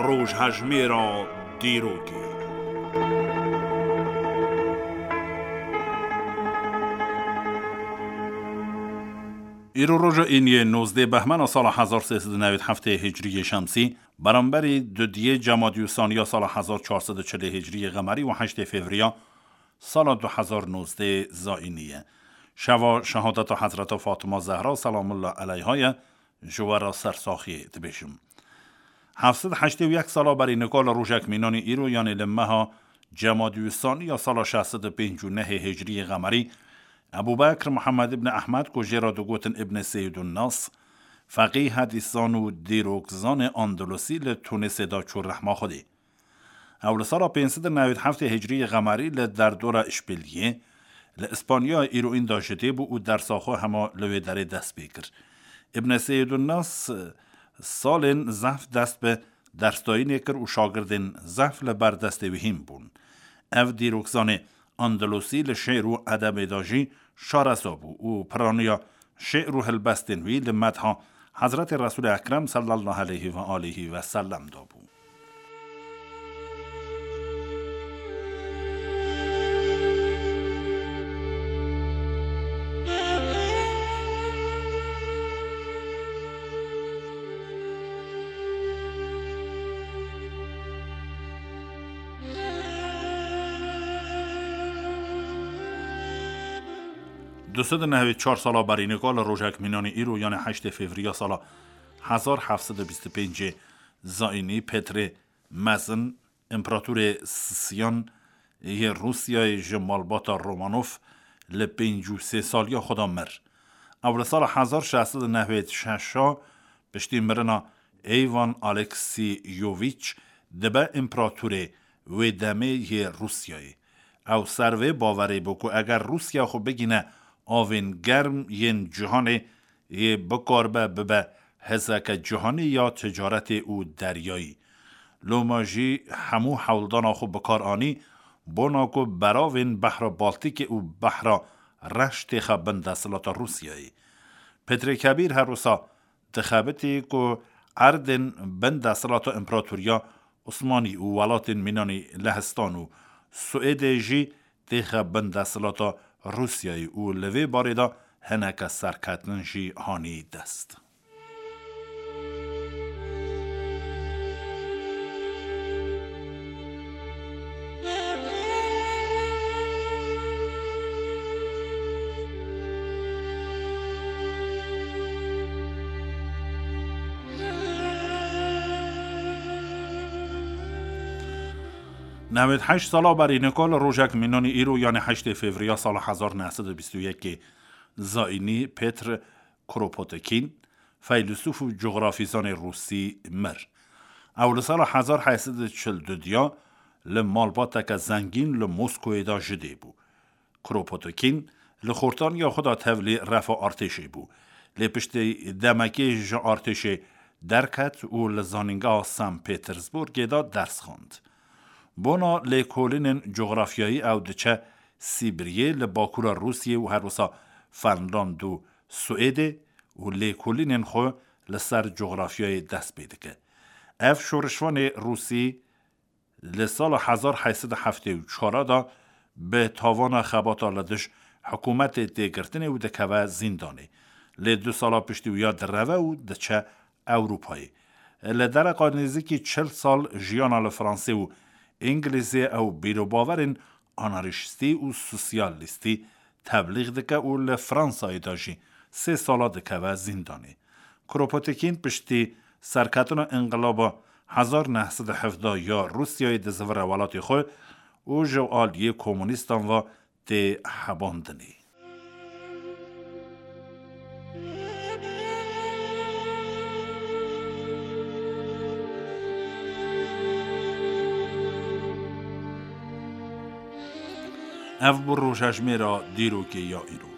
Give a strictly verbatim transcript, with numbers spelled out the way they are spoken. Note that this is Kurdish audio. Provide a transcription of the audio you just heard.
Rojhejmêra dîrokê. Îro roja îniyê nozdeh behmena sala hezar sê sed û newî heftê hicriyê şemsî, beramberî dudiyê cemadî û saniya sala hezar çar sed û çilê hicriyê qemerî û heştê fevriya sala du hezar nozdeh zayînî ye. Şeva şehadeta Hezreta Fatima Zehra selamullah eleyha ye, ji we re sersaxiyê dibêjim. Heft sed heştê û yek sala berî nika li rojek mînanî îro, yanê li meha cemadî û saniya sala şeş sed û pêncî û nehê hicriyê qemerî, Ebû Bekr Muhammed ibn Ehmed, ku jê re digotin Ibn Seyyidun Nas, feqî, hedîszan û dîrokzanê Andalusî, li Tunisê de çû rehma Xwedê. Ew li sala pênc sed û newî heftê hicriyê qemerî li derdora Îşbiliyê, li Îspanyaya îroyîn de ji dê bû û dersa xwe hema li wê derê dest pê kir. Ibn Seyyidun Nas salên zehf dest bi dersdayînê kir û şagirdên zehf li ber destê wî hîn bûn. Ev dîrokzanê Andalusî li şê'r û edebê de jî şaresa bû û piraniya şê'r û helbestên wî li medha Hezretê Resûlê Ekrem sallallahu aleyhi ve alihi ve sellem de bû. Du sed û nehwê çar sala berî nika li rojek mînanî îro, yanê heştê fevriya sala hezar heft sed û bîst û pêncê zayînî, Petrê Mezin, împeratorê Sisiyan yê Rûsyayê, ji malbata Romanov, li pêncî û sê saliya xwe de mir. Ew li sala hezar şeş sed û nehwê şeş a piştî mirina Eyvan Aleksîyovîç dibe împeratorê wê demê yê Rûsyayê. Ew ser vê bawerê bû ku eger Rûsya xwe bigîne avên germ yên cîhanê, yê bikaribe bibe hêzeke cîhanî ya ticaretê û deryayî. Loma jî hemû hewldana xwe bi kar anî, bona ku beravên Behra Baltîkê û Behra Reş têxe bin desthilata Rûsyayê. Petrê Kebîr her wisa dixebitî ku erdên bin desthilata Împeratoriya Osmanî û welatên mînanî Lehistan û Swêdê jî têxe bin desthilata Rûsyayê û li vê barê de hineke serketin jî hanî dest. Newêd heşt sala berî nika li rojek mînanî îro, yanê heştê fevriya sala hezar neh sed û bîst û yekê zayînî, Petr Kropotkin, feylesûf û cografîzanê rûsî, mir. Ew li sala hezar heyt sed û çil û du diya li malbateke zengîn li Moskoyê de ji dê bû. Kropotkin li xortaniya xwe de tevlî refa artêşê bû. Lê piştî demekê ji artêşê derket û li zanîngeha San Petersburgê de ders xwend. Bona lêkolînên cografyayî ew diçe Sîbiryê li bakûra Rûsiyê û her wisa Fenland û Swêdê û lêkolînên xwe li ser cografyayê dest pê dike. Ev şorişvanê rûsî li sala hezar heyt sed û heftê û çar de bi tavana xebata li dij hikûmetê tê girtinê û dikeve zîndanê. Lê du sala piştî wî ya direve û diçe Ewropayê. Li dereqa nêzîkî çil sal jiyana li Fransê û Îngilîzê ew bîrobawerên anarşîstî û sosyalîstî teblîx dike û li Fransayê de jî sê sala dikeve zîndanê. Kropotkin piştî serketina înqilaba hezar neh sed û hevdeh ya Rûsyayê dizivire welatê xwe û ji aliyê komûnîstan ve tê hebandinê. Ev bû rojhejmêra dîrokê ya îro.